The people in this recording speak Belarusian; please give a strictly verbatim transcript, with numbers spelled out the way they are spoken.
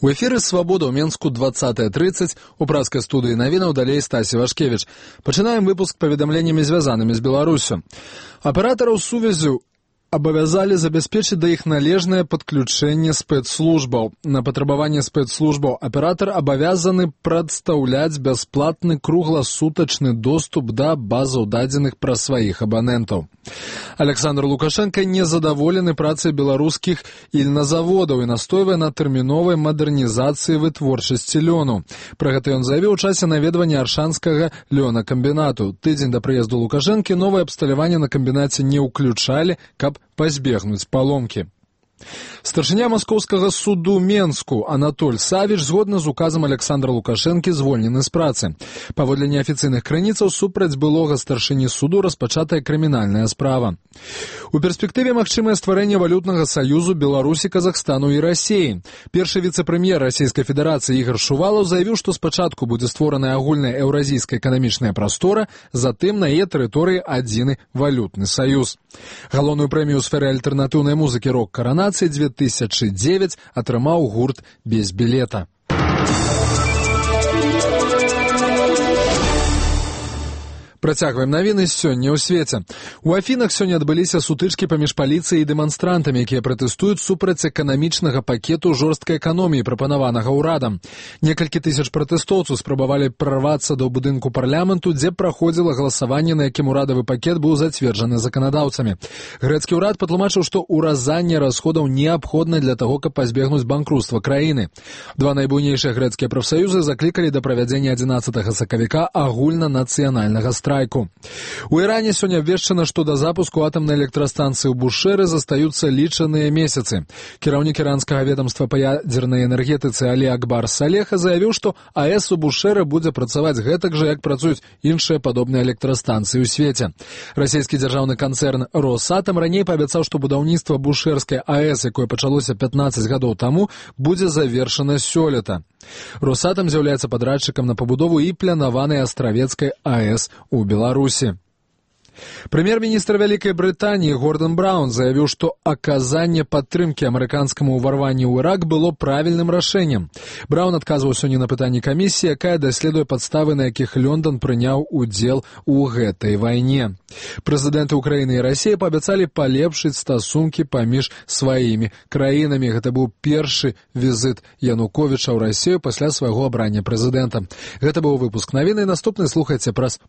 У эфіры «Свабода» ў Менску двадцатая тридцать, у праскай студыі навінаў далей Стасі Вашкевіч. Пачынаем выпуск паведамленнямі, звязанымі з Беларусю. Аператараў сувязі абавязалі забяспечыць да іх належнае падключэнне спецслужбаў. На патрабаванне спецслужбаў аператар абавязаны прадстаўляць бясплатны кругласутачны доступ да базаў дадзеных пра сваіх абанентаў. Александр Лукашенко незадаволены працай беларускіх ільназаводаў і настойвае на тэрміновай мадэрнізацыі вытворчасці лёну. Пра гэта ён заявіў у часе наведвання аршанскага лёнакамбінату. Тыдзень да прыезду Лукашэнкі новае абсталяванне на камбінаце не ўключалі, каб пазбегнуць паломкі. Старшыня маскоўскага суду Менску Анатоль Савіч згодна з указам Александра Лукашэнкі звольнены з працы. Паводле неафіцыйных крыніцаў супраць былога старшыні суду распачатая крымінальная справа. У перспектыве магчымае стварэнне валютнага саюзу Беларусі, Казахстану і Расіі. Першы віцэ-прэм'ер Расійскай Федэрацыі Ігор Шувалаў заявіў, што спачатку будзе створаная агульная еўразійская эканамічная прастора, затым на яе тэрыторыі адзіны валютны саюз. Галоўную прэмію ў сферы альтэрнатыўнай музыкі «Рок-каранацыі» две тысячи девять атрымаў гурт «Без білета». Працягваем навіны сёння ў свеце. У Афінах сёння адбыліся сутычкі паміж паліцыяй і дэманстрантамі, якія пратэстуюць супраць эканамічнага пакету жорсткай эканоміі, прапанаванага ўрадам. Некалькі тысяч пратэстоўцаў спрабавалі прарвацца да будынку парламенту, дзе праходзіла галасаванне, на якім урадавы пакет быў зацверджаны заканадаўцамі. Грэцкі ўрад патлумачыў, што ўразанне расходаў неабходна для таго, каб пазбегнуць банкруцтва краіны. Два найбуйнейшыя грэцкія прафсаюзы заклікалі да правядзення адзінаццатага сакавіка агульнанацыянальнага страйку. У Іране сёння абвешчана, што да запуску атамнай электрастанцыі ў Бушэры застаюцца лічаныя месяцы. Кіраўнік іранскага ведамства па ядзернай энергетыцы Алі Акбар Салеха заявіў, што АЭС у Бушэры будзе працаваць гэтак жа, як працуюць іншыя падобныя электрастанцыі ў свеце. Расійскі дзяржаўны канцэрн «Росатам» раней паабяцаў, што будаўніцтва бушэрскай АЭС, якое пачалося пятнаццаць гадоў таму, будзе завершана сёлета. «Росатам» з'яўляецца падрадчыкам на пабудову і планаванай астравецкай АЭС у Беларусі. Прэм'ер-міністр Вялікай Брытаніі Гордон Браўн заявіў, што аказанне падтрымкі амерыканскаму ўварванню ў Ірак было правільным рашэннем. Браўн адказваў сёння на пытанні камісіі, якая даследуе падставы, на якіх Лондон прыняў удзел у гэтай вайне. Прэзідэнты Украіны і Расіі паабяцалі палепшыць стасункі паміж сваімі краінамі. Гэта быў першы візіт Януковіча ў Расію пасля свайго абрання прэзідэнтам. Гэта быў выпуск навіны. Наступны слухайце праз